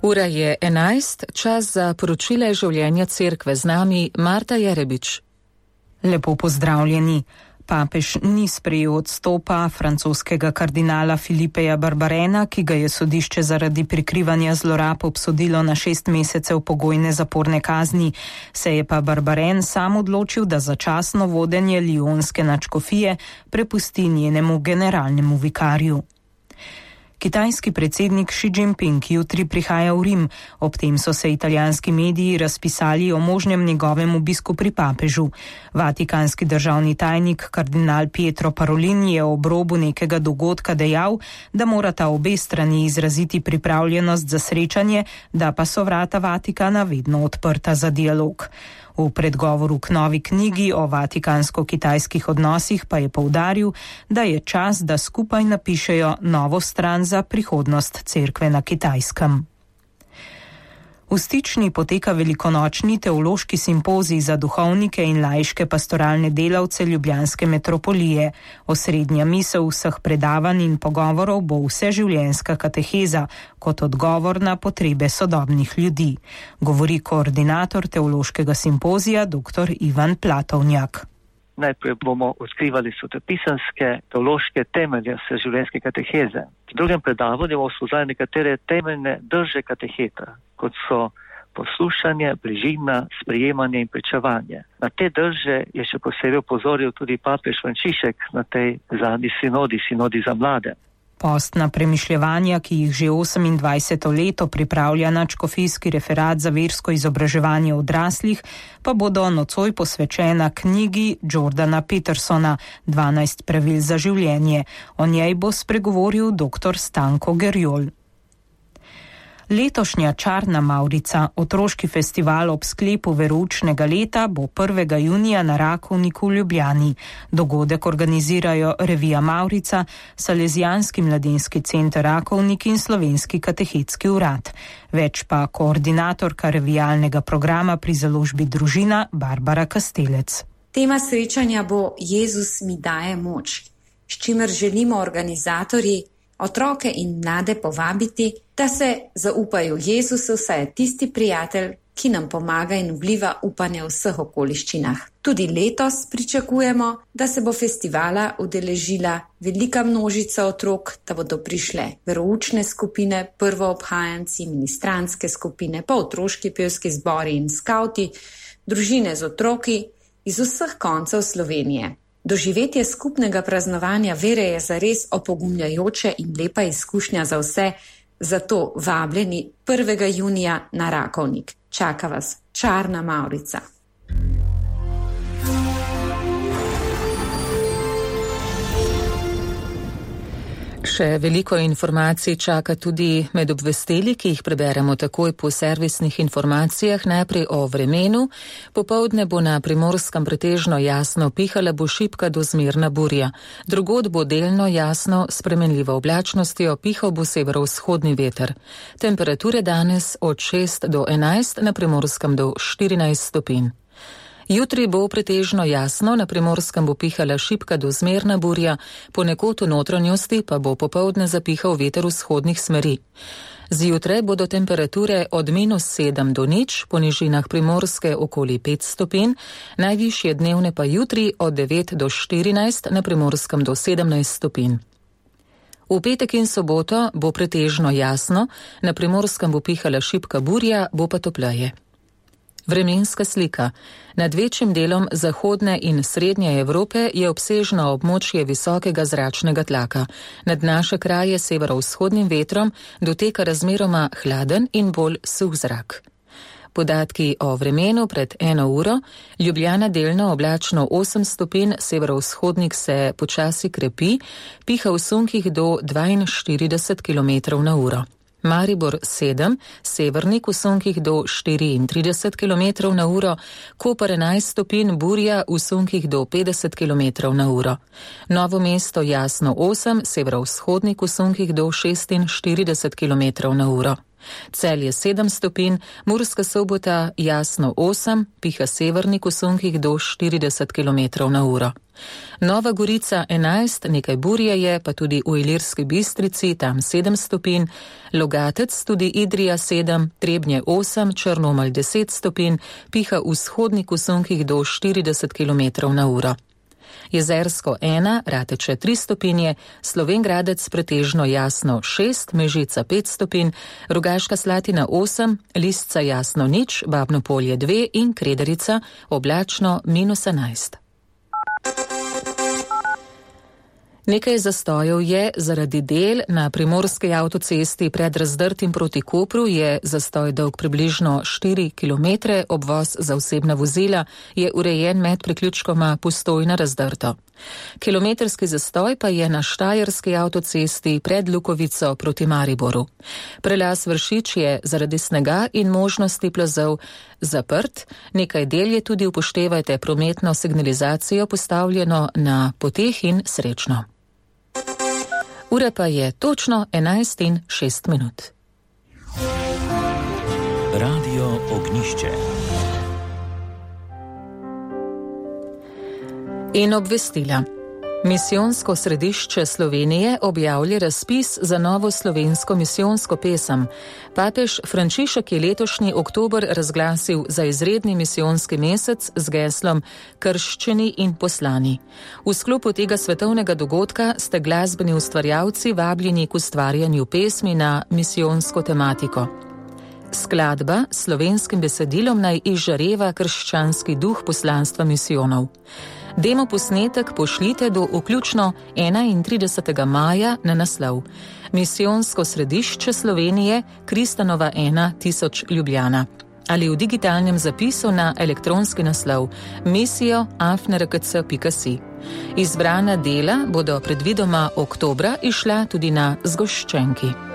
Ura je 11, čas za poročile življenja cerkve. Z nami Marta Jerebič. Lepo pozdravljeni. Papež ni sprejel odstopa francoskega kardinala Filipeja Barbarena, ki ga je sodišče zaradi prikrivanja zlorab obsodilo na 6 mesecev pogojne zaporne kazni. Se je pa Barbaren sam odločil, da začasno vodenje lionske nadškofije prepusti njenemu generalnemu vikarju. Kitajski predsednik Xi Jinping jutri prihaja v Rim, ob tem so se italijanski mediji razpisali o možnem njegovem obisku pri papežu. Vatikanski državni tajnik kardinal Pietro Parolin je ob robu nekega dogodka dejal, da morata obe strani izraziti pripravljenost za srečanje, da pa so vrata Vatikana vedno odprta za dialog. V predgovoru k novi knjigi o vatikansko-kitajskih odnosih pa je poudaril, da je čas, da skupaj napišejo novo stran za prihodnost cerkve na Kitajskem. V Stični poteka velikonočni teološki simpozij za duhovnike in laiške pastoralne delavce ljubljanske metropolije. Osrednja misel vseh predavanj in pogovorov bo vseživljenjska kateheza kot odgovor na potrebe sodobnih ljudi, govori koordinator teološkega simpozija dr. Ivan Platovnjak. Najprej bomo odkrivali svetopisanske teološke temelje vseživljenjske kateheze. V drugem predavanju bomo spoznali nekatere temeljne drže kateheta, kot so poslušanje, bližina, sprejemanje in pričevanje. Na te drže je še posebej opozoril tudi papež Frančišek na tej zadnji sinodi za mlade. Postna premišljevanja, ki jih že 28. leto pripravlja nadškofijski referat za versko izobraževanje odraslih, pa bodo nocoj posvečena knjigi Jordana Petersona 12 pravil za življenje. O njej bo spregovoril dr. Stanko Gerjol. Letošnja Čarna Mavrica, otroški festival ob sklepu veroučnega leta, bo 1. junija na Rakovniku v Ljubljani. Dogodek organizirajo Revija Mavrica, Salezijanski mladinski center Rakovnik in Slovenski katehetski urad. Več pa koordinatorka revijalnega programa pri založbi Družina Barbara Kastelec. Tema srečanja bo Jezus mi daje moč, s čimer želimo organizatorji otroke in mlade povabiti, da se zaupajo Jezusu, saj je tisti prijatelj, ki nam pomaga in vliva upanje v vseh okoliščinah. Tudi letos pričakujemo, da se bo festivala udeležila velika množica otrok, da bodo prišle veroučne skupine, prvoobhajanci, ministrantske skupine, pa otroški pevski zbori in skavti, družine z otroki iz vseh koncev Slovenije. Doživetje skupnega praznovanja vere je zares opogumljajoče in lepa izkušnja za vse, zato vabljeni 1. junija na Rakovnik. Čaka vas Čarna Mavrica. Še veliko informacij čaka tudi med obvestili, ki jih preberemo takoj po servisnih informacijah. Najprej o vremenu. Popoldne bo na Primorskem pretežno jasno, pihala bo šibka do zmerna burja. Drugod bo delno jasno, spremenljivo oblačnostjo, pihal bo severovzhodni veter. Temperature danes od 6 do 11, na Primorskem do 14 stopinj. Jutri bo pretežno jasno, na Primorskem bo pihala šibka do zmerna burja, ponekod v notranjosti pa bo popoldne zapihal veter vzhodnih smeri. Zjutraj bodo temperature od -7 do 0, po nižinah Primorske okoli 5 stopinj, najvišje dnevne pa jutri od 9 do 14, na Primorskem do 17 stopinj. V petek in soboto bo pretežno jasno, na Primorskem bo pihala šibka burja, bo pa topleje. Vremenska slika. Nad večjim delom zahodne in srednje Evrope je obsežno območje visokega zračnega tlaka. Nad naše kraje severovzhodnim vetrom doteka razmeroma hladen in bolj suh zrak. Podatki o vremenu pred 1 uro. Ljubljana delno oblačno 8 stopinj, severovzhodnik se počasi krepi, piha v sunkih do 42 km/h. Maribor 7, severnik v sunkih do 34 km/h, Koper 11 stopinj, burja v sunkih do 50 km/h. Novo mesto jasno 8, severovzhodnik v sunkih do 46 km/h. Celje 7 stopinj, Murska Sobota jasno 8, piha severnik v sunkih do 40 km/h. Nova Gorica 11, nekaj burje je, pa tudi v Ilirski Bistrici, tam 7 stopinj, Logatec, tudi Idrija 7, Trebnje 8, Črnomelj 10 stopinj, piha vzhodnik v sunkih do 40 km/h. Jezersko 1, Rateče 3 stopinje, Slovenj Gradec pretežno jasno 6, Mežica 5 stopinj, Rogaška Slatina 8, Lisca jasno 0, Babno Polje 2 in Krederica oblačno -11. Nekaj zastojev je zaradi del na primorski avtocesti pred Razdrtim proti Kopru, je zastoj dolg približno 4 km, obvoz za osebna vozila je urejen med priključkoma Postojna Razdrto. Kilometrski zastoj pa je na štajerski avtocesti pred Lukovico proti Mariboru. Prelaz Vršič je zaradi snega in možnosti plazov zaprt, nekaj del je tudi upoštevajte prometno signalizacijo postavljeno na poteh in srečno. Ura pa je točno 11:06. Radio Ognjišče. In obvestila. Misijonsko središče Slovenije objavlja razpis za novo slovensko misijonsko pesem. Papež Frančišek je letošnji oktober razglasil za izredni misijonski mesec z geslom Krščeni in poslani. V sklopu tega svetovnega dogodka ste glasbeni ustvarjalci vabljeni k ustvarjanju pesmi na misijonsko tematiko. Skladba s slovenskim besedilom naj izžareva krščanski duh poslanstva misijonov. Demo posnetek pošljite do vključno 31. maja na naslov Misijonsko središče Slovenije, Kristanova 1000 Ljubljana ali v digitalnem zapisu na elektronski naslov misijo@rkc.si. Izbrana dela bodo predvidoma oktobra išla tudi na zgoščenki.